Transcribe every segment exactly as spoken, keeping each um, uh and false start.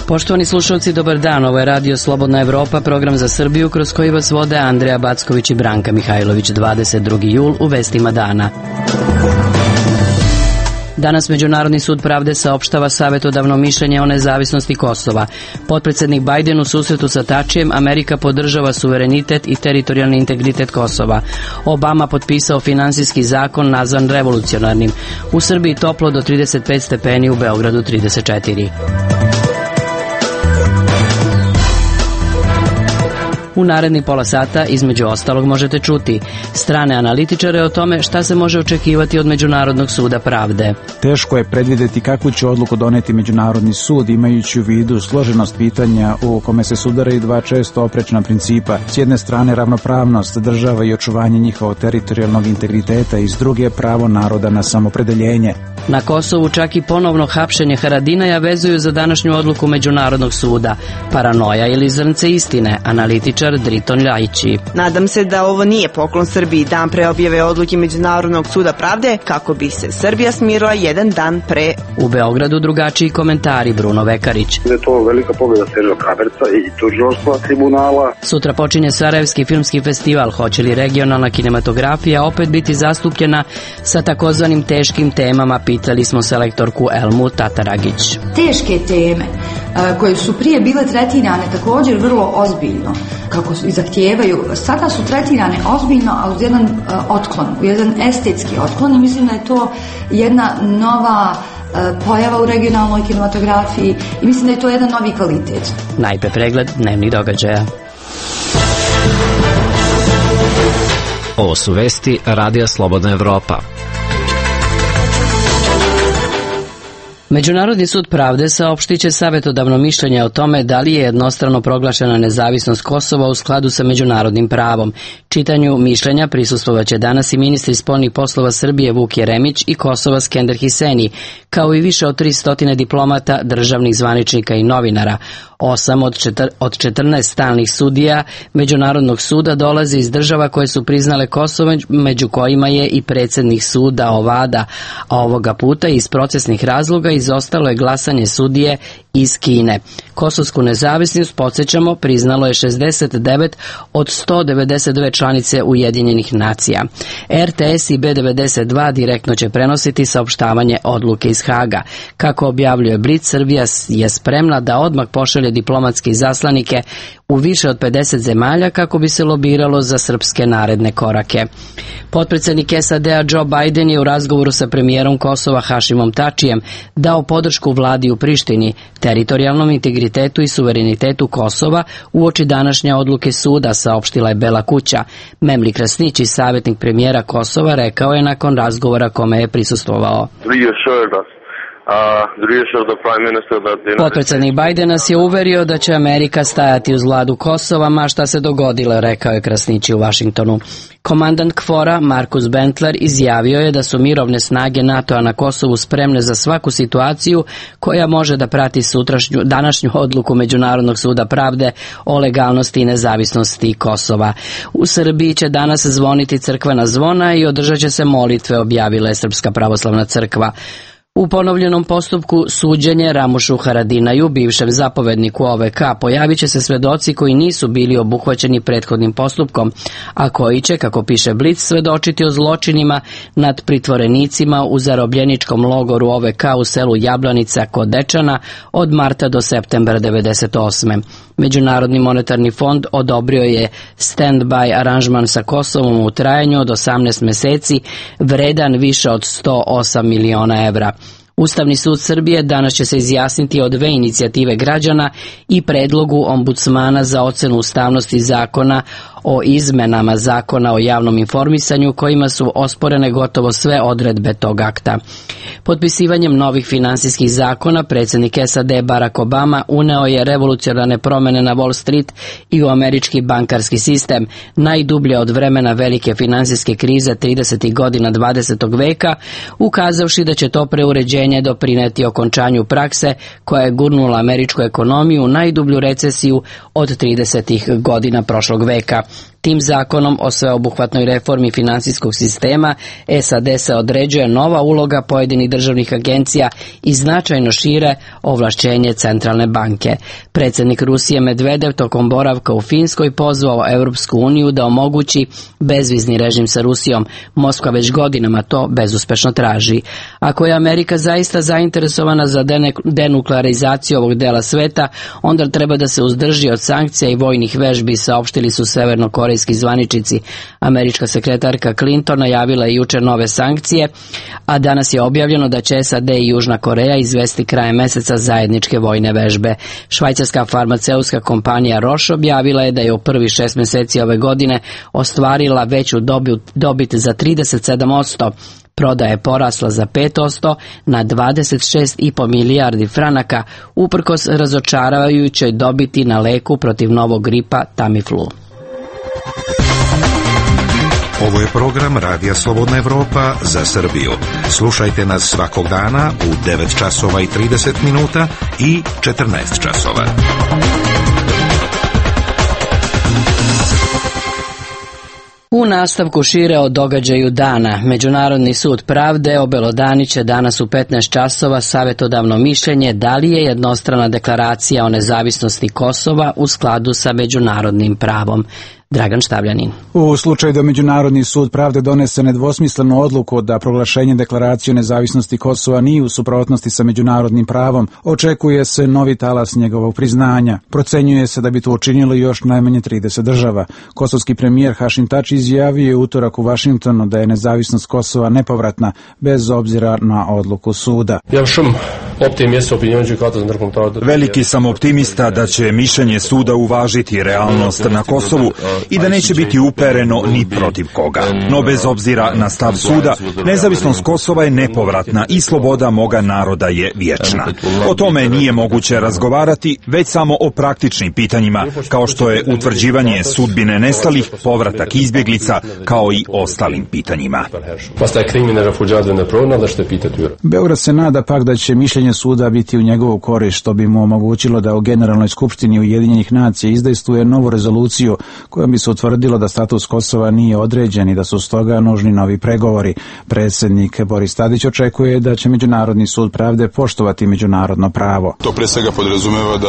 Poštovani slušalci, dobar dan. Ovo je Radio Slobodna Evropa, program za Srbiju kroz koji vas vode Andreja Backović i Branka Mihajlović. dvadeset drugi jul u vestima dana. Danas Međunarodni sud pravde saopštava savetodavno mišljenje o nezavisnosti Kosova. Potpredsednik Bajden u susretu sa Tačijem, Amerika podržava suverenitet i teritorijalni integritet Kosova. Obama potpisao finansijski zakon nazvan revolucionarnim. U Srbiji toplo do trideset pet stepeni, u Beogradu trideset četiri. U naredni pola sata, između ostalog, možete čuti strane analitičare o tome šta se može očekivati od Međunarodnog suda pravde. Teško je predvideti kakvu će odluku doneti Međunarodni sud, imajući u vidu složenost pitanja u kome se sudaraju dva često oprečna principa. S jedne strane ravnopravnost država i očuvanje njihovog teritorijalnog integriteta i s druge pravo naroda na samopredeljenje. Na Kosovu čak i ponovno hapšenje Haradinaja vezuju za današnju odluku Međunarodnog suda. Paranoja ili zrnce istine, analitičar Driton Ljajići. Nadam se da ovo nije poklon Srbiji dan pre objave odluke Međunarodnog suda pravde, kako bi se Srbija smirila jedan dan pre. U Beogradu drugačiji komentari, Bruno Vekarić. Da je to velika pobjeda Sergio Kraberca i tužilaštva tribunala. Sutra počinje Sarajevski filmski festival. Hoće li regionalna kinematografija opet biti zastupljena sa takozvanim teškim temama, pitali smo selektorku Elmu Tataragić. Teške teme koje su prije bile tretirane također vrlo ozbiljno, kako i zahtijevaju, sada su tretirane ozbiljno, a uz jedan uh, otklon, jedan estetski otklon, i mislim da je to jedna nova uh, pojava u regionalnoj kinematografiji i mislim da je to jedan novi kvalitet. Najpre pregled dnevnih događaja. Ovo su vesti Radija Slobodna Evropa. Međunarodni sud pravde saopštit će savetodavno mišljenje o tome da li je jednostrano proglašena nezavisnost Kosova u skladu sa međunarodnim pravom. Čitanju mišljenja prisustvovaće danas i ministri spoljnih poslova Srbije Vuk Jeremić i Kosova Skender Hiseni, kao i više od tristo diplomata, državnih zvaničnika i novinara. Osam od, četir, od četrnaest stalnih sudija Međunarodnog suda dolazi iz država koje su priznale Kosovo, među kojima je i predsjednik suda Ovada, a ovoga puta iz procesnih razloga izostalo je glasanje sudije iz Kine. Kosovsku nezavisnost, podsjećamo, priznalo je šezdeset devet od sto devedeset dve članice Ujedinjenih nacija. R T S i B devedeset dva direktno će prenositi saopštavanje odluke iz Haga. Kako objavljuje Blic, Srbija je spremna da odmah pošalje diplomatske izaslanike u više od pedeset zemalja kako bi se lobiralo za srpske naredne korake. Potpredsjednik S A D-a Joe Biden je u razgovoru sa premijerom Kosova Hašimom Tačijem dao podršku vladi u Prištini, teritorijalnom integritetu i suverenitetu Kosova uoči današnje odluke suda, saopštila je Bela kuća. Memli Krasnić, savjetnik premijera Kosova, rekao je nakon razgovora kome je prisustvovao. Potpredsjednik Biden nas je uverio da će Amerika stajati uz vladu Kosova, ma šta se dogodilo, rekao je Krasnići u Vašingtonu. Komandant KFOR-a Markus Bentler izjavio je da su mirovne snage NATO-a na Kosovu spremne za svaku situaciju koja može da prati sutrašnju, današnju odluku Međunarodnog suda pravde o legalnosti i nezavisnosti Kosova. U Srbiji će danas zvoniti crkvena zvona i održat će se molitve, objavila je Srpska pravoslavna crkva. U ponovljenom postupku suđenje Ramušu Haradinaju, bivšem zapovedniku O V K, pojavit će se svedoci koji nisu bili obuhvaćeni prethodnim postupkom, a koji će, kako piše Blic, svedočiti o zločinima nad pritvorenicima u zarobljeničkom logoru O V K u selu Jablanica kod Dečana od marta do septembra devedeset osme. Međunarodni monetarni fond odobrio je stand-by aranžman sa Kosovom u trajanju od osamnaest meseci, vredan više od sto osam miliona evra. Ustavni sud Srbije danas će se izjasniti o dve inicijative građana i predlogu ombudsmana za ocenu ustavnosti zakona o izmenama zakona o javnom informisanju kojima su osporene gotovo sve odredbe tog akta. Potpisivanjem novih finansijskih zakona predsjednik S A D Barack Obama uneo je revolucionarne promjene na Wall Street i u američki bankarski sistem, najdublje od vremena velike finansijske krize tridesetih godina dvadesetog veka, ukazavši da će to preuređenje doprineti okončanju prakse koja je gurnula američku ekonomiju u najdublju recesiju od tridesetih godina prošlog veka. Tim zakonom o sveobuhvatnoj reformi finansijskog sistema S A D se određuje nova uloga pojedinih državnih agencija i značajno šire ovlašćenje centralne banke. Predsjednik Rusije Medvedev tokom boravka u Finskoj pozvao Europsku uniju da omogući bezvizni režim sa Rusijom. Moskva već godinama to bezuspešno traži. Ako je Amerika zaista zainteresovana za denuklearizaciju ovog dela sveta, onda treba da se uzdrži od sankcija i vojnih vežbi, saopštili su severnokorejski zvaničnici. Američka sekretarka Clinton najavila je jučer nove sankcije, a danas je objavljeno da će S A D i Južna Koreja izvesti krajem meseca zajedničke vojne vežbe. Švajcarska farmaceutska kompanija Roche objavila je da je u prvi šest mjeseci ove godine ostvarila veću dobit za trideset sedam posto. Prodaja je porasla za pet posto na dvadeset šest i po milijardi franaka, uprkos razočaravajućoj dobiti na leku protiv novog gripa Tamiflu. Ovo je program Radija Slobodna Evropa za Srbiju. Slušajte nas svakog dana u devet časova i trideset minuta i četrnaest časova. U nastavku šire o događaju dana. Međunarodni sud pravde obelodaniće danas u petnaest časova savjetodavno mišljenje da li je jednostrana deklaracija o nezavisnosti Kosova u skladu sa međunarodnim pravom. Dragan Štavljanin. U slučaju da Međunarodni sud pravde donese nedvosmislenu odluku da proglašenje deklaracije o nezavisnosti Kosova nije u suprotnosti sa međunarodnim pravom, očekuje se novi talas njegovog priznanja. Procenjuje se da bi to učinilo još najmanje trideset država. Kosovski premijer Hašim Tači izjavio je utorak u Vašingtonu da je nezavisnost Kosova nepovratna, bez obzira na odluku suda. Veliki sam optimista da će mišljenje suda uvažiti realnost na Kosovu i da neće biti upereno ni protiv koga. No bez obzira na stav suda, nezavisnost Kosova je nepovratna i sloboda moga naroda je vječna. O tome nije moguće razgovarati, već samo o praktičnim pitanjima, kao što je utvrđivanje sudbine nestalih, povratak izbjeglica, kao i ostalim pitanjima. Beograd se nada pak da će mišljenje suda biti u njegovu korist, što bi mu omogućilo da u Generalnoj skupštini Ujedinjenih nacija izdejstvuje novu rezoluciju kojom bi se utvrdilo da status Kosova nije određen i da su stoga nužni novi pregovori. Predsjednik Boris Tadić očekuje da će Međunarodni sud pravde poštovati međunarodno pravo. To pre svega podrazumeva da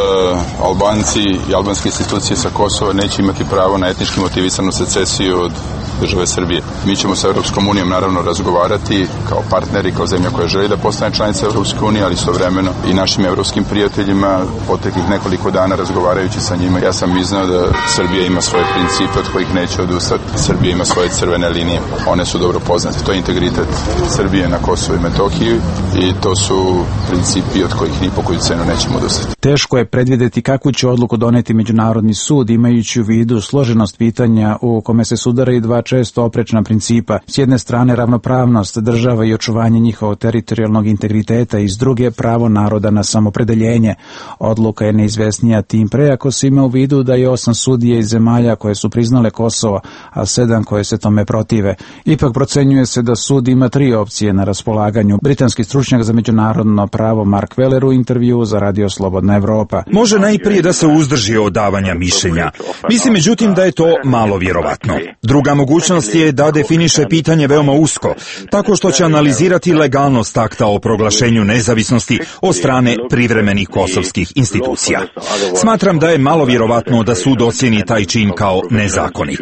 Albanci i albanske institucije sa Kosova neće imati pravo na etnički motivisanu secesiju od države Srbije. Mi ćemo sa Europskom unijom naravno razgovarati kao partneri, kao zemlja koja želi da postane članica Europske unije, ali istovremeno i našim europskim prijateljima. Poteklih nekoliko dana razgovarajući sa njima, ja sam iznao da Srbija ima svoje principe od kojih neće odustati. Srbija ima svoje crvene linije, one su dobro poznate. To je integritet Srbije na Kosovu i Metohiji i to su principi od kojih ni po koju cenu nećemo odustati. Teško je predvidjeti kakvu će odluku doneti Međunarodni sud, imajući u vidu složenost pitanja u kome se sudaraju dva često oprečna principa. S jedne strane ravnopravnost država i očuvanje njihovog teritorijalnog integriteta i s druge pravo naroda na samopredeljenje. Odluka je neizvesnija tim pre ako se ima u vidu da je osam sudija iz zemalja koje su priznale Kosovo, a sedam koje se tome protive. Ipak procenjuje se da sud ima tri opcije na raspolaganju. Britanski stručnjak za međunarodno pravo Mark Weller u intervju za Radio Slobodna Evropa. Može najprije da se uzdrži od davanja mišljenja. Mislim međutim da je to malo vjerovatno. Druga mogućnost je da definiše pitanje veoma usko, tako što će analizirati legalnost akta o proglašenju nezavisnosti od strane privremenih kosovskih institucija. Smatram da je malo vjerovatno da sud ocjeni taj čin kao nezakonit.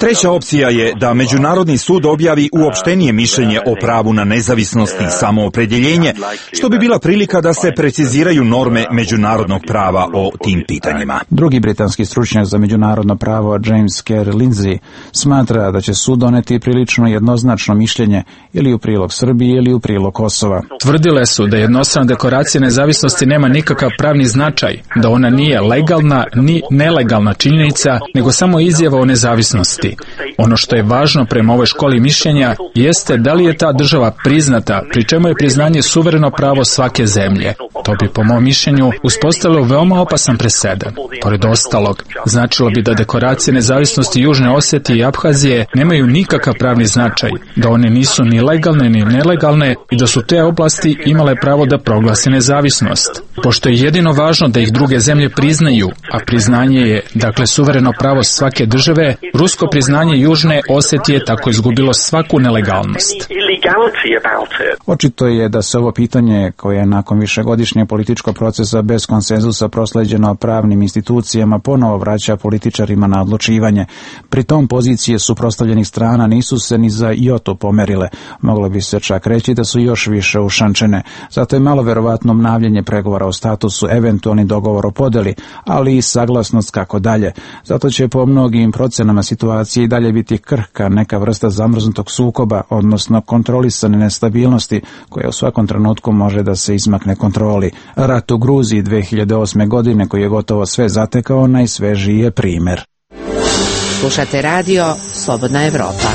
Treća opcija je da Međunarodni sud objavi uopštenije mišljenje o pravu na nezavisnost i samoopredjeljenje, što bi bila prilika da se preciziraju norme međunarodnog prava o tim pitanjima. Drugi britanski stručnjak za međunarodno pravo James Kerr Lindsay smatra smatra da će sud doneti prilično jednoznačno mišljenje ili u prilog Srbije ili u prilog Kosova. Tvrdile su da jednostrana deklaracija nezavisnosti nema nikakav pravni značaj, da ona nije legalna ni nelegalna činjenica, nego samo izjava o nezavisnosti. Ono što je važno prema ovoj školi mišljenja jeste da li je ta država priznata, pri čemu je priznanje suvereno pravo svake zemlje. To bi po mom mišljenju uspostavilo veoma opasan presedan. Pored ostalog, značilo bi da deklaracije nezavisnosti Južne Osetije i Abhazije nemaju nikakav pravni značaj, da one nisu ni legalne ni nelegalne i da su te oblasti imale pravo da proglase nezavisnost. Pošto je jedino važno da ih druge zemlje priznaju, a priznanje je, dakle, suvereno pravo svake države, rusko priznanje Južne Osetije tako izgubilo svaku nelegalnost. Očito je da se ovo pitanje, koje je nakon višegodišnjeg političkog procesa bez konsenzusa prosleđeno pravnim institucijama, ponovo vraća političarima na odlučivanje. Pri tom pozicije suprotstavljenih strana nisu se ni za joto pomerile. Moglo bi se čak reći da su još više ušančene. Zato je malo verovatno obnavljanje pregovora o statusu, eventualni dogovor o podeli, ali i saglasnost kako dalje. Zato će po mnogim procenama situacije i dalje biti krhka, neka vrsta zamrznutog sukoba, odnosno kontrolisane nestabilnosti, koja u svakom trenutku može da se izmakne kontroli. Rat u Gruziji dve hiljade osme. godine, koji je gotovo sve zatekao, najsvežiji je primer. Slušate radio Slobodna Evropa.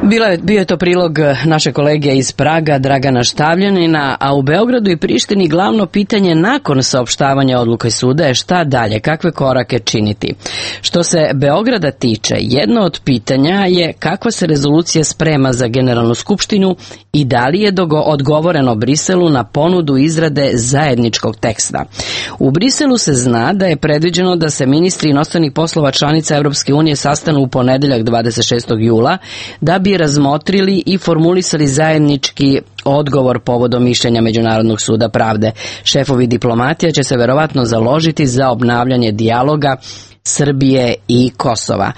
Bilo je, bio je to prilog naše kolege iz Praga, Dragana Štavljanina, a u Beogradu i Prištini glavno pitanje nakon saopštavanja odluke suda je šta dalje, kakve korake činiti. Što se Beograda tiče, jedno od pitanja je kakva se rezolucija sprema za Generalnu skupštinu i da li je dogo odgovoreno Briselu na ponudu izrade zajedničkog teksta. U Briselu se zna da je predviđeno da se ministri inostranih poslova članica Evropske unije sastanu u ponedeljak dvadeset šestog jula da bi razmotrili i formulisali zajednički odgovor povodom mišljenja Međunarodnog suda pravde. Šefovi diplomatija će se verovatno založiti za obnavljanje dijaloga Srbije i Kosova.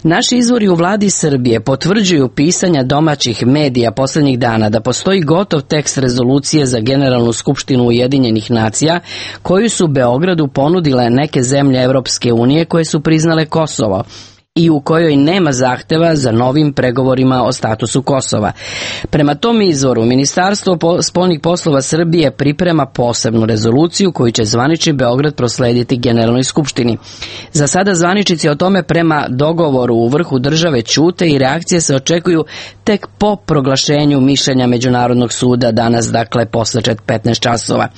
Naši izvori u vladi Srbije potvrđuju pisanja domaćih medija poslednjih dana da postoji gotov tekst rezolucije za Generalnu skupštinu Ujedinjenih nacija koju su Beogradu ponudile neke zemlje Evropske unije koje su priznale Kosovo i u kojoj nema zahteva za novim pregovorima o statusu Kosova. Prema tom izvoru, Ministarstvo spoljnih poslova Srbije priprema posebnu rezoluciju koju će zvanični Beograd proslediti Generalnoj skupštini. Za sada zvaničnici o tome prema dogovoru u vrhu države ćute i reakcije se očekuju tek po proglašenju mišljenja Međunarodnog suda danas, dakle posle petnaest časova.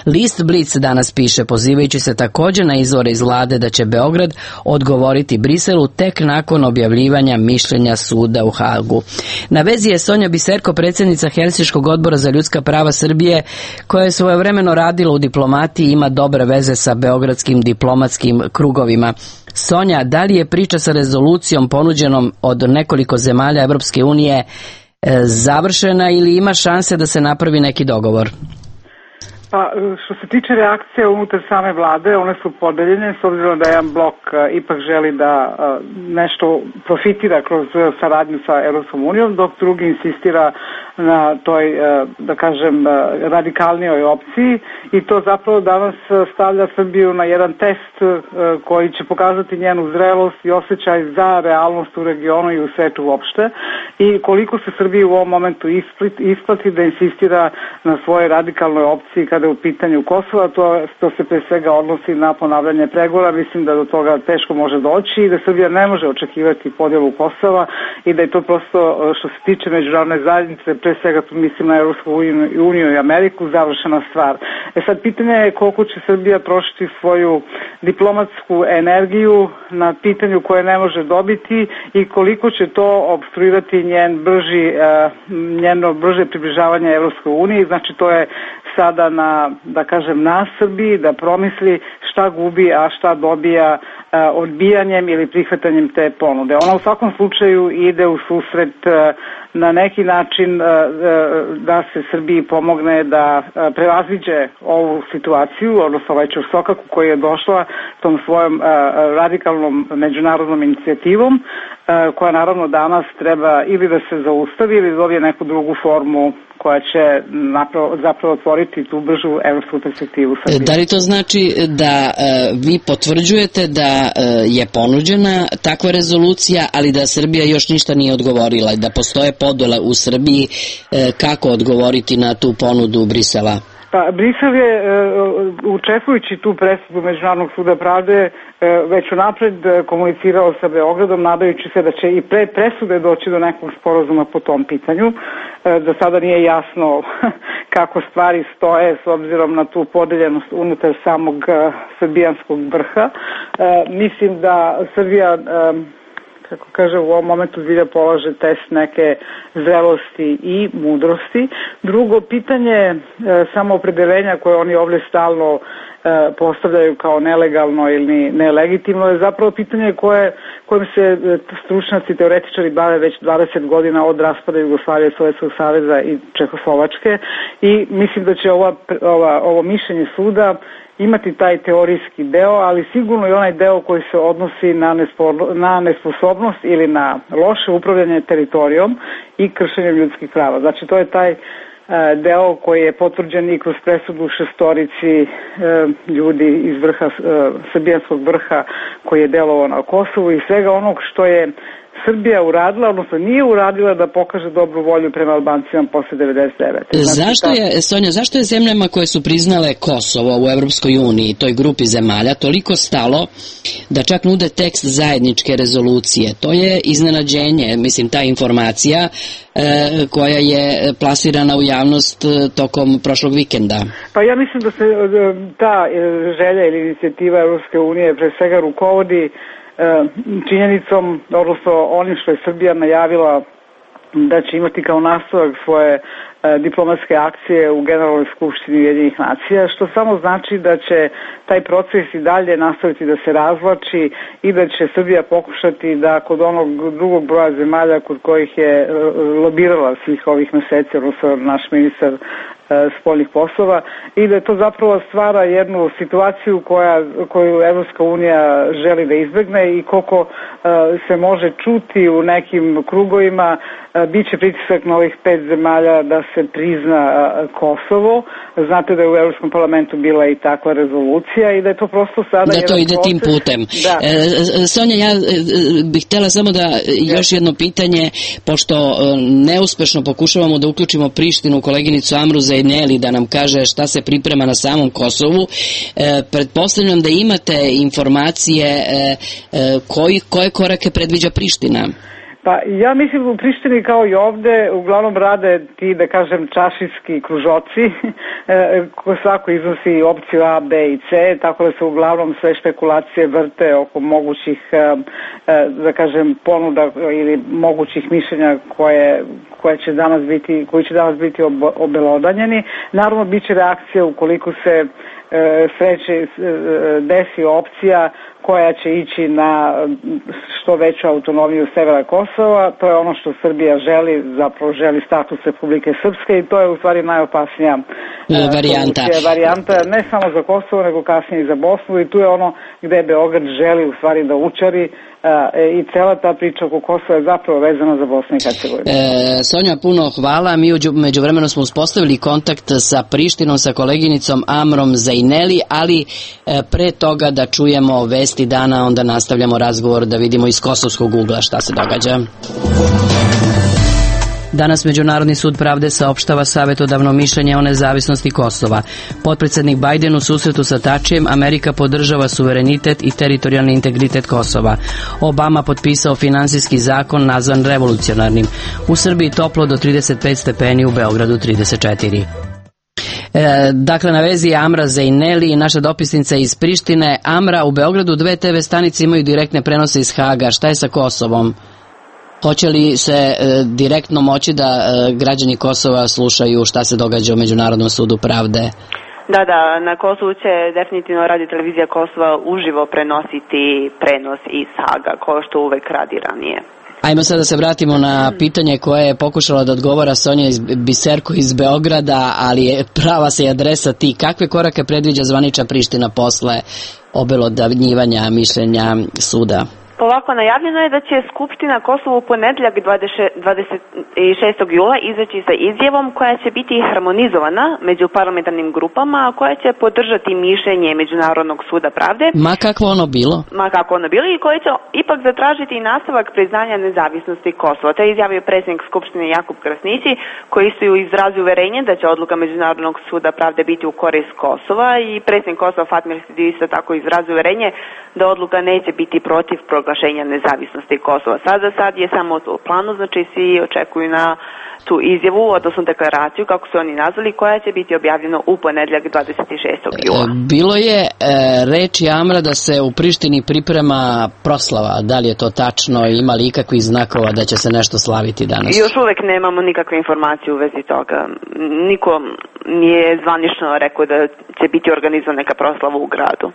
List Blic danas piše, pozivajući se također na izvore iz vlade, da će Beograd odgovoriti Briselu tek nakon objavljivanja mišljenja suda u Hagu. Na vezi je Sonja Biserko, predsjednica Helsinškog odbora za ljudska prava Srbije, koja je svojevremeno radila u diplomatiji i ima dobre veze sa beogradskim diplomatskim krugovima. Sonja, da li je priča sa rezolucijom ponuđenom od nekoliko zemalja Evropske unije završena ili ima šanse da se napravi neki dogovor? Pa, što se tiče reakcije unutar same vlade, one su podeljene, s obzirom da jedan blok ipak želi da nešto profitira kroz saradnju sa Evropskom unijom, dok drugi insistira na toj, da kažem, radikalnijoj opciji, i to zapravo danas stavlja Srbiju na jedan test koji će pokazati njenu zrelost i osjećaj za realnost u regionu i u svetu uopšte, i koliko se Srbiji u ovom momentu isplati da insistira na svojoj radikalnoj opciji kada je u pitanju Kosova. To, to se pre svega odnosi na ponavljanje pregovora. Mislim da do toga teško može doći i da Srbija ne može očekivati podjelu Kosova i da je to prosto, što se tiče međunarodne zajednice, pre svega tu mislim na Evropsku uniju i Ameriku, završena stvar. E sad, pitanje je koliko će Srbija trošiti svoju diplomatsku energiju na pitanju koje ne može dobiti i koliko će to obstruirati njen brži, njeno brže približavanje Evropskoj uniji. Znači, to je sada na, da kažem, na Srbiji da promisli šta gubi, a šta dobija odbijanjem ili prihvatanjem te ponude. Ona u svakom slučaju ide u susret na neki način da se Srbiji pomogne da prevaziđe ovu situaciju, odnosno ovaj ćorsokak u koji je došla tom svojom radikalnom međunarodnom inicijativom, koja naravno danas treba ili da se zaustavi ili dobije neku drugu formu koja će napravo, zapravo otvoriti tu bržu evropsku perspektivu Srbije. Da li to znači da e, vi potvrđujete da e, je ponuđena takva rezolucija, ali da Srbija još ništa nije odgovorila i da postoje podele u Srbiji e, kako odgovoriti na tu ponudu Brisela? Pa, Brisel je, učestvujući tu presudu Međunarodnog suda pravde, već unapred komunicirao sa Beogradom, nadajući se da će i pre presude doći do nekog sporazuma po tom pitanju. Za sada nije jasno kako stvari stoje s obzirom na tu podeljenost unutar samog srbijanskog vrha. Mislim da Srbija, kako kaže, u ovom momentu zbilja polaže test neke zrelosti i mudrosti. Drugo pitanje e, samoopredeljenja koje oni ovdje stalno e, postavljaju kao nelegalno ili nelegitimno je zapravo pitanje koje, kojim se stručnjaci, teoretičari bave već dvadeset godina od raspada Jugoslavije, Sovjetskog saveza i Čehoslovačke, i mislim da će ova, ova, ovo mišljenje suda imati taj teorijski deo, ali sigurno i onaj deo koji se odnosi na, nespo, na nesposobnost ili na loše upravljanje teritorijom i kršenje ljudskih prava. Znači, to je taj e, deo koji je potvrđen i kroz presudu šestorici e, ljudi iz vrha, e, srbijanskog vrha koji je delovao na Kosovu i svega onog što je Srbija uradila, odnosno nije uradila da pokaže dobru volju prema Albancima posle devedeset devete. Znači, zašto je, Sonja, zašto je zemljama koje su priznale Kosovo u Evropskoj uniji, toj grupi zemalja, toliko stalo da čak nude tekst zajedničke rezolucije? To je iznenađenje, mislim, ta informacija e, koja je plasirana u javnost tokom prošlog vikenda. Pa ja mislim da se ta želja ili inicijativa Evropske unije pre svega rukovodi činjenicom, odnosno onim što je Srbija najavila da će imati kao nastavak svoje diplomatske akcije u Generalnoj skupštini Ujedinjenih nacija, što samo znači da će taj proces i dalje nastaviti da se razvlači i da će Srbija pokušati da kod onog drugog broja zemalja kod kojih je lobirala svih ovih meseci, odnosno naš ministar spoljnih poslova, i da to zapravo stvara jednu situaciju koja, koju Evropska unija želi da izbegne, i koliko uh, se može čuti u nekim krugovima, uh, bit će pritisak na ovih pet zemalja da se prizna uh, Kosovo. Znate da je u Evropskom parlamentu bila i takva rezolucija i da je to prosto sada... Da to ide proces tim putem. Da. E, Sonja, ja bih htjela samo da još jedno pitanje, pošto neuspešno pokušavamo da uključimo Prištinu, koleginicu Amru Zejneli, da nam kaže šta se priprema na samom Kosovu. E, pretpostavljam da imate informacije e, e, koji, koje korake predviđa Priština? Pa ja mislim u Prištini kao i ovde uglavnom rade ti, da kažem, čašijski kružoci ko svako iznosi opciju A, B i C, tako da se uglavnom sve špekulacije vrte oko mogućih, da kažem, ponuda ili mogućih mišljenja koje, koje će danas biti, koji će danas biti obelodanjeni. Naravno, bit će reakcija ukoliko se sreće desi opcija koja će ići na što veću autonomiju severa Kosova. To je ono što Srbija želi, zapravo želi status Republike Srpske, i to je u stvari najopasnija varijanta. varijanta, ne samo za Kosovo, nego kasnije i za Bosnu, i tu je ono gde Beograd želi u stvari da učari, i cela ta priča oko Kosova je zapravo vezana za Bosnu i Hercegovinu. E, Sonja, puno hvala. Mi međuvremeno smo uspostavili kontakt sa Prištinom, sa koleginicom Amrom Zejneli, ali e, pre toga da čujemo vesti dana, onda nastavljamo razgovor da vidimo iz kosovskog ugla šta se događa. Danas Međunarodni sud pravde saopštava savjetodavno mišljenje o nezavisnosti Kosova. Potpredsjednik Bajden u susretu sa Tačijem, Amerika podržava suverenitet i teritorijalni integritet Kosova. Obama potpisao finansijski zakon nazvan revolucionarnim. U Srbiji toplo do trideset pet stepeni, u Beogradu trideset četiri. E, dakle, na vezi je Amra Zejneli, naša dopisnica iz Prištine. Amra, u Beogradu dve te ve stanice imaju direktne prenose iz Haga. Šta je sa Kosovom? Hoće li se e, direktno moći da e, građani Kosova slušaju šta se događa u Međunarodnom sudu pravde? Da, da, na Kosovu će definitivno radio televizija Kosova uživo prenositi prenos iz Haga, kao što uvek radi ranije. Ajmo sad da se vratimo na pitanje koje je pokušala da odgovara Sonja iz Biserko iz Beograda, ali je prava se adresa ti. Kakve korake predviđa zvanična Priština posle obelodanjivanja mišljenja suda? Ovako najavljeno je da će Skupština Kosovo u ponedjeljak dvadeset šestog jula izaći sa izjavom koja će biti harmonizovana među parlamentarnim grupama, a koja će podržati mišljenje Međunarodnog suda pravde. Ma kakvo ono bilo? Ma kako ono bilo i koji će ipak zatražiti i nastavak priznanja nezavisnosti Kosova. To je izjavio predsjednik Skupštine Jakub Krasnići, koji su izrazili uverenje da će odluka Međunarodnog suda pravde biti u korist Kosova, i predsjednik Kosova Fatmir Sidić isto tako izrazio uverenje da odluka neće biti protiv proglašenja nezavisnosti Kosova. Sada sad je samo u planu, znači svi očekuju na tu izjavu, odnosno deklaraciju, kako su oni nazvali, koja će biti objavljena u ponedjeljak dvadeset šestog jula. Bilo je e, reči Amra da se u Prištini priprema proslava. Da li je to tačno? Ima li ikakvih znakova da će se nešto slaviti danas? Još uvek nemamo nikakve informacije u vezi toga. Niko nije zvanično rekao da će biti organizovana neka proslava u gradu.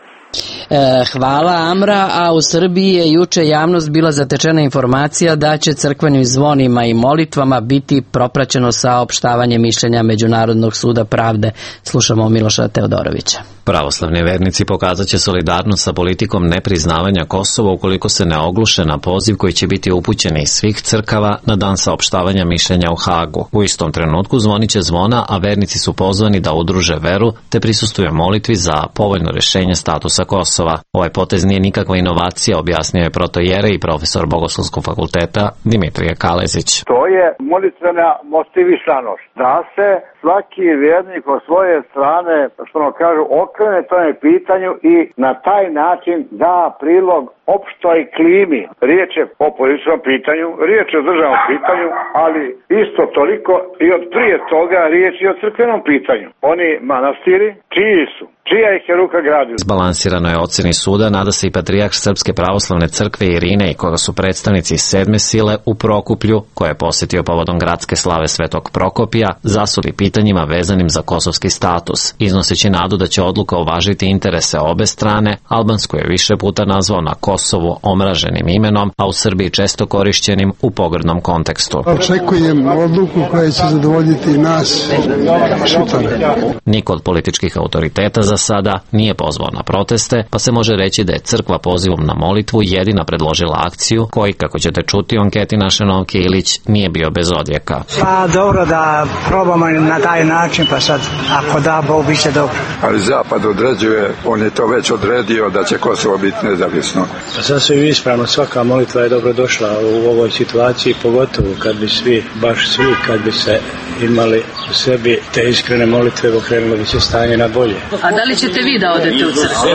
Hvala Amra, a u Srbiji je juče javnost bila zatečena informacija da će crkvenim zvonima i molitvama biti propraćeno saopštavanje mišljenja Međunarodnog suda pravde. Slušamo Miloša Teodorovića. Pravoslavni vernici pokazat će solidarnost sa politikom nepriznavanja Kosova ukoliko se ne ogluše na poziv koji će biti upućen iz svih crkava na dan saopštavanja mišljenja u Hagu. U istom trenutku zvonit će zvona, a vernici su pozvani da udruže veru te prisustuju molitvi za povoljno rješenje statusa Kosova. Ovaj potez nije nikakva inovacija, objasnio je protojere i profesor Bogoslovskog fakulteta Dimitrije Kalezić. To je molitvena motivisanost, da se svaki vjernik od svoje strane, što ono kažu, okrene tome pitanju i na taj način da prilog opštoj klimi. Riječ je o političkom pitanju, riječ je o državnom pitanju, ali isto toliko i od prije toga riječ je o crkvenom pitanju. Oni manastiri, čiji su? Čija ih je ruka gradila? Izbalansirano je ocjeni suda, nada se i patrijarh Srpske pravoslavne crkve Irine i koga su predstavnici sedme sile u Prokuplju, koje je posjetio povodom gradske slave Svetog Prokopija, zasuli pitanjima vezanim za kosovski status, iznoseći nadu da će odluka uvažiti interese obe strane. Albansku je više puta nazvao na Kosovu omraženim imenom, a u Srbiji često korišćenim u pogrdnom kontekstu. Očekujem odluku koja će zadovoljiti nas sutra. Niko od političkih autoriteta za sada nije pozvao na proteste, pa se može reći da je crkva pozivom na molitvu jedina predložila akciju koji, kako ćete čuti u anketi naše Novke Ilić, nije bio bez odjeka. Pa dobro da probamo na taj način, pa sad ako da, Bog bit će dobro. Ali Zapad određuje, on je to već odredio da će Kosovo biti nezavisno. Pa sasvim ispravno, svaka molitva je dobro došla u ovoj situaciji, pogotovo kad bi svi, baš svi, kad bi se imali u sebi te iskrene molitve, okrenulo bi se stanje na bolje. A da li ćete vi da odete u crkvu?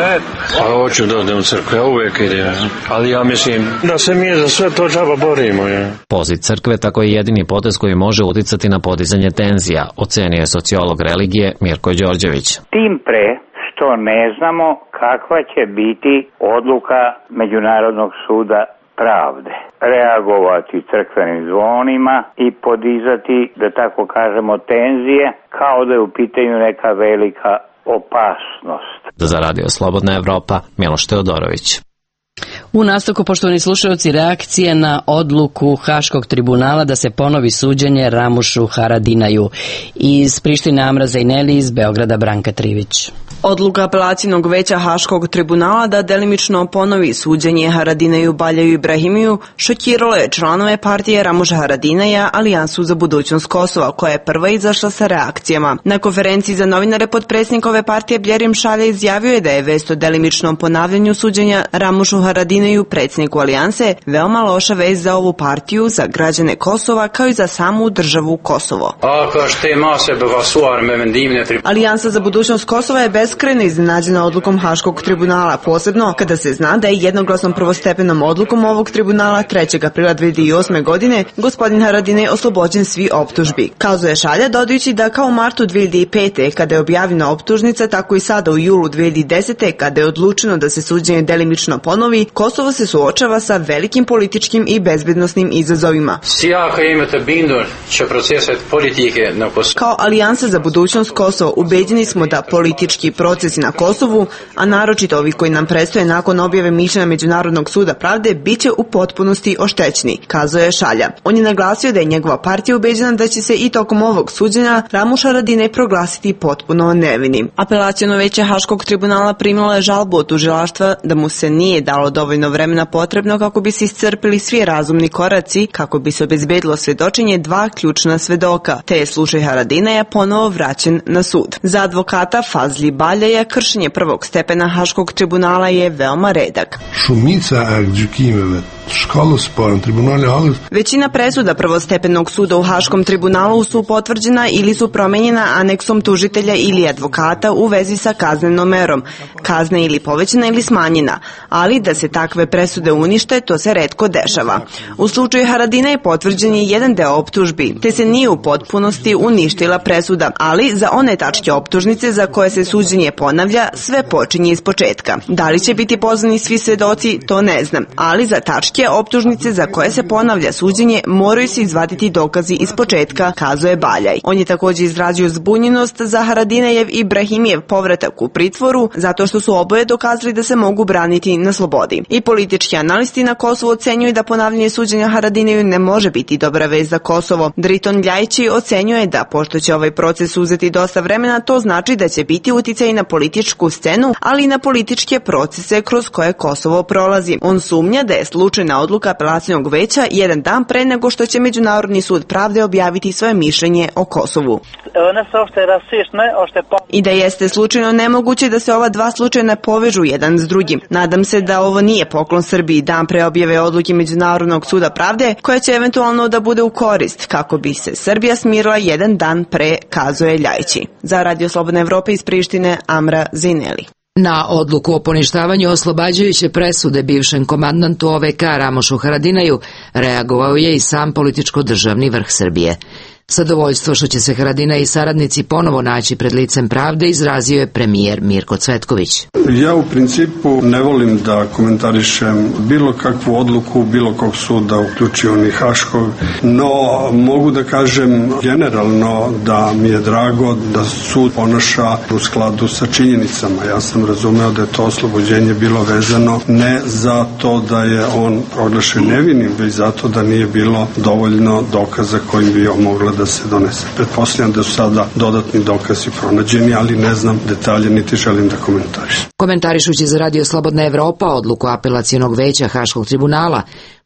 Pa hoću da odem u crkvu, ja uvijek idem. Ali ja mislim da se mi za sve to džaba borimo. Je. Poziv crkve tako je jedini potez koji može uticati na podizanje tenzija, ocenio je sociolog religije Mirko Đorđević. Tim pre što ne znamo kakva će biti odluka Međunarodnog suda pravde. Reagovati crkvenim zvonima i podizati, da tako kažemo, tenzije, kao da je u pitanju neka velika opasnost. Za Radio Slobodna Evropa, Miloš Teodorović. U nastavku, poštovani slušalci, reakcije na odluku Haškog tribunala da se ponovi suđenje Ramušu Haradinaju. Iz Prištine Amra Zajneli, iz Beograda Branka Trivić. Odluka apelacijnog veća Haškog tribunala da delimično ponovi suđenje Haradinaju Baljaju Ibrahimiju šokiralo je članove partije Ramuša Haradinaja, Alijansu za budućnost Kosova, koja je prva izašla sa reakcijama. Na konferenciji za novinare potpredsjednik ove partije Bljerim Šalja izjavio je da je vest o delimičnom ponavljanju suđenja Ramušu Haradinaju, predsjedniku Alijanse, veoma loša vest za ovu partiju, za građane Kosova, kao i za samu državu Kosovo. Alijansa za budućnost Kosova je beskrajno iznenađena odlukom Haškog tribunala, posebno kada se zna da je jednoglasnom prvostepenom odlukom ovog tribunala trećeg aprila dve hiljade osme. godine gospodin Haradinaj oslobođen svi optužbi. Kazao je Šalja, dodajući da kao u martu dve hiljade pete. kada je objavljena optužnica, tako i sada u julu dve hiljade desete. kada je odlučeno da se suđenje delimično ponovi, Kosovo se suočava sa velikim političkim i bezbednosnim izazovima. Kao Alijansa za budućnost Kosova ubeđeni smo da politički procesi na Kosovu, a naročito ovi koji nam predstoje nakon objave mišljenja Međunarodnog suda pravde, bit će u potpunosti oštećeni, kazao je Šalja. On je naglasio da je njegova partija ubeđena da će se i tokom ovog suđenja Ramuš Haradinaj proglasiti potpuno nevinim. Apelaciono veće Haškog tribunala primilo je žalbu od tužilaštva da mu se nije dalo malo dovoljno vremena potrebno kako bi se iscrpili svi razumni koraci, kako bi se obezbedilo svedočenje dva ključna svedoka, te je slučaj Haradinaja ponovo vraćen na sud. Za advokata Fazli Baljaja kršenje prvog stepena Haškog tribunala je veoma redak. Većina presuda prvostepenog suda u Haškom tribunalu su potvrđena ili su promenjena aneksom tužitelja ili advokata u vezi sa kaznenom merom, kazna ili povećana ili smanjena, ali da se takve presude unište, to se retko dešava. U slučaju Haradinaja potvrđen je jedan deo optužbi, te se nije u potpunosti uništila presuda, ali za one tačke optužnice za koje se suđenje ponavlja, sve počinje iz početka. Da li će biti pozvani svi svedoci, to ne znam, ali za tačke optužnice za koje se ponavlja suđenje moraju se izvaditi dokazi iz početka, kazuje Baljaj. On je također izrazio zbunjenost za Haradinajev i Brahimijev povratak u pritvoru, zato što su oboje dokazali da se mogu braniti na slobodi. I politički analisti na Kosovu ocenjuju da ponavljanje suđenja Haradinaju ne može biti dobra vez za Kosovo. Driton Ljajići ocenjuje da, pošto će ovaj proces uzeti dosta vremena, to znači da će biti uticaj na političku scenu, ali i na političke procese kroz koje Kosovo prolazi. On sumnja da je slučajna odluka apelacionog veća jedan dan pre nego što će Međunarodni sud pravde objaviti svoje mišljenje o Kosovu. I da jeste slučajno nemoguće da se ova dva slučaja ne povežu jedan s drugim. Nadam se da ovo nije poklon Srbiji dan pre objave odluke Međunarodnog suda pravde, koja će eventualno da bude u korist, kako bi se Srbija smirila jedan dan pre, kazuje Ljajići. Za Radio Slobodna Evropa iz Prištine, Amra Zineli. Na odluku o poništavanju oslobađajuće presude bivšem komandantu O V K Ramošu Haradinaju reagovao je i sam političko-državni vrh Srbije. Zadovoljstvo što će se Haradinaj i saradnici ponovo naći pred licem pravde izrazio je premijer Mirko Cvetković. Ja u principu ne volim da komentarišem bilo kakvu odluku bilo kog suda, uključio ni Haškog, no mogu da kažem generalno da mi je drago da sud ponaša u skladu sa činjenicama. Ja sam razumeo da je to oslobođenje bilo vezano ne zato da je on proglašen nevinim, već zato da nije bilo dovoljno dokaza kojim bi mogla da se donese. Pretpostavljam da su sada dodatni dokazi pronađeni, ali ne znam detalje niti želim da komentarišem. Komentarišući za Radio Slobodna Evropa odluku apelacionog veća Haškog tribunala,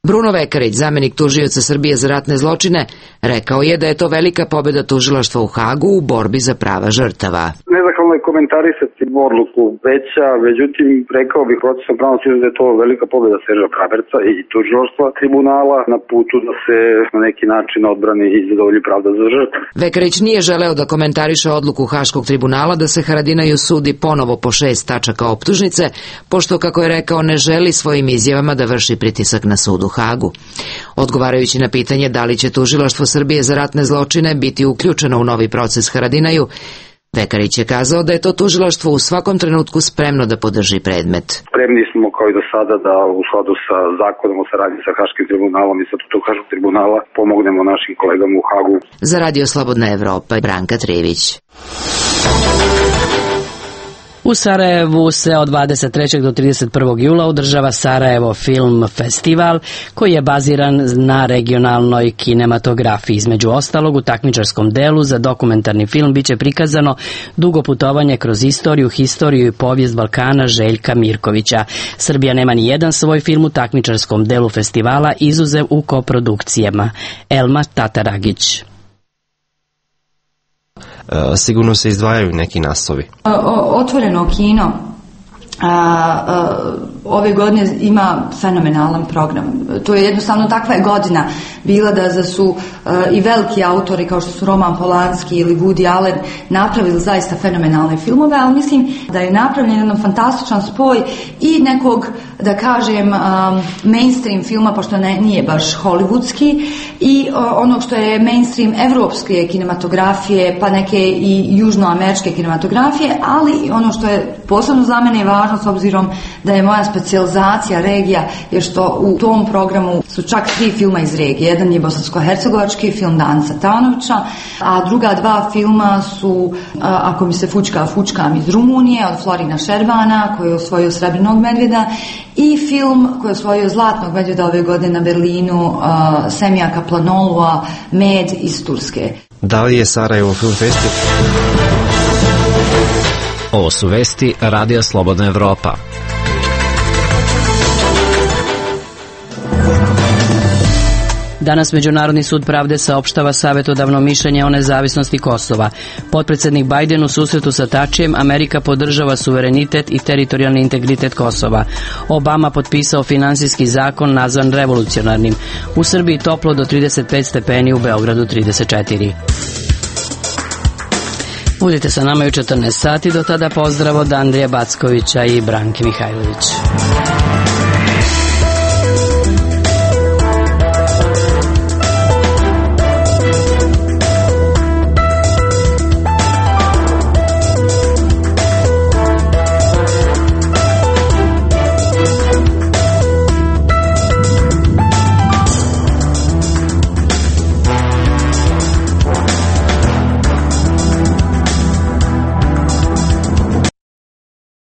Bruno Vekarić, zamenik tužioca Srbije za ratne zločine, rekao je da je to velika pobjeda tužilaštva u Hagu u borbi za prava žrtava. Nezahvalno je komentarisati odluku veća, međutim rekao bih procesom pravnog suda da je to velika pobjeda Serža Kraberca i tužilaštva tribunala na putu da se na neki način odbrani i zadovolji pravda za žrtve. Vekarić nije želeo da komentariše odluku Haškog tribunala da se Haradinaju sudi ponovo po šest tačaka optužnice, pošto, kako je rekao, ne želi svojim izjavama da vrši pritisak na sud u Hagu. Odgovarajući na pitanje da li će tužilaštvo Srbije za ratne zločine biti uključeno u novi proces Haradinaju, Vekarić je kazao da je to tužilaštvo u svakom trenutku spremno da podrži predmet. Spremni smo kao i do sada da u skladu sa zakonom o saradnji sa Haškim tribunalom i statutom Haškog tribunala pomognemo našim kolegama u Hagu. Za Radio Slobodna Evropa, Branka Trević. U Sarajevu se od dvadeset trećeg do trideset prvog jula održava Sarajevo Film Festival, koji je baziran na regionalnoj kinematografiji. Između ostalog, u takmičarskom delu za dokumentarni film biće prikazano dugo putovanje kroz istoriju, historiju i povijest Balkana Željka Mirkovića. Srbija nema ni jedan svoj film u takmičarskom delu festivala, izuzev u koprodukcijama. Elma Tataragić. Sigurno se izdvajaju neki naslovi. Otvoreno kino A, a, ove godine ima fenomenalan program. To je jednostavno, takva je godina bila da, da su a, i veliki autori kao što su Roman Polanski ili Woody Allen napravili zaista fenomenalne filmove, ali mislim da je napravljen jedan fantastičan spoj i nekog, da kažem, a, mainstream filma, pošto ne, nije baš hollywoodski, i a, ono što je mainstream evropske kinematografije, pa neke i južnoameričke kinematografije, ali ono što je posebno za mene važno, s obzirom da je moja specijalizacija regija, je što u tom programu su čak tri filma iz regije. Jedan je bosansko-hercegovački film Danca Tanovića, a druga dva filma su Ako mi se fučka, fučkam iz Rumunije od Florina Šerbana, koji je osvojio Srebrnog medvjeda, i film koji je osvojio Zlatnog medvjeda ove godine na Berlinu, Semija Kaplanolua, Med iz Turske. Da li je Sarajevo Film Festival? Ovo su vesti Radija Slobodna Evropa. Danas Međunarodni sud pravde saopštava savjetodavno mišljenje o nezavisnosti Kosova. Potpredsednik Bajden u susretu sa Tačijem, Amerika podržava suverenitet i teritorijalni integritet Kosova. Obama potpisao finansijski zakon nazvan revolucionarnim. U Srbiji toplo do trideset pet stepeni, u Beogradu trideset četiri. Budite sa nama u četrnaest sati, do tada pozdrav od Andrija Backovića i Branke Mihajlović.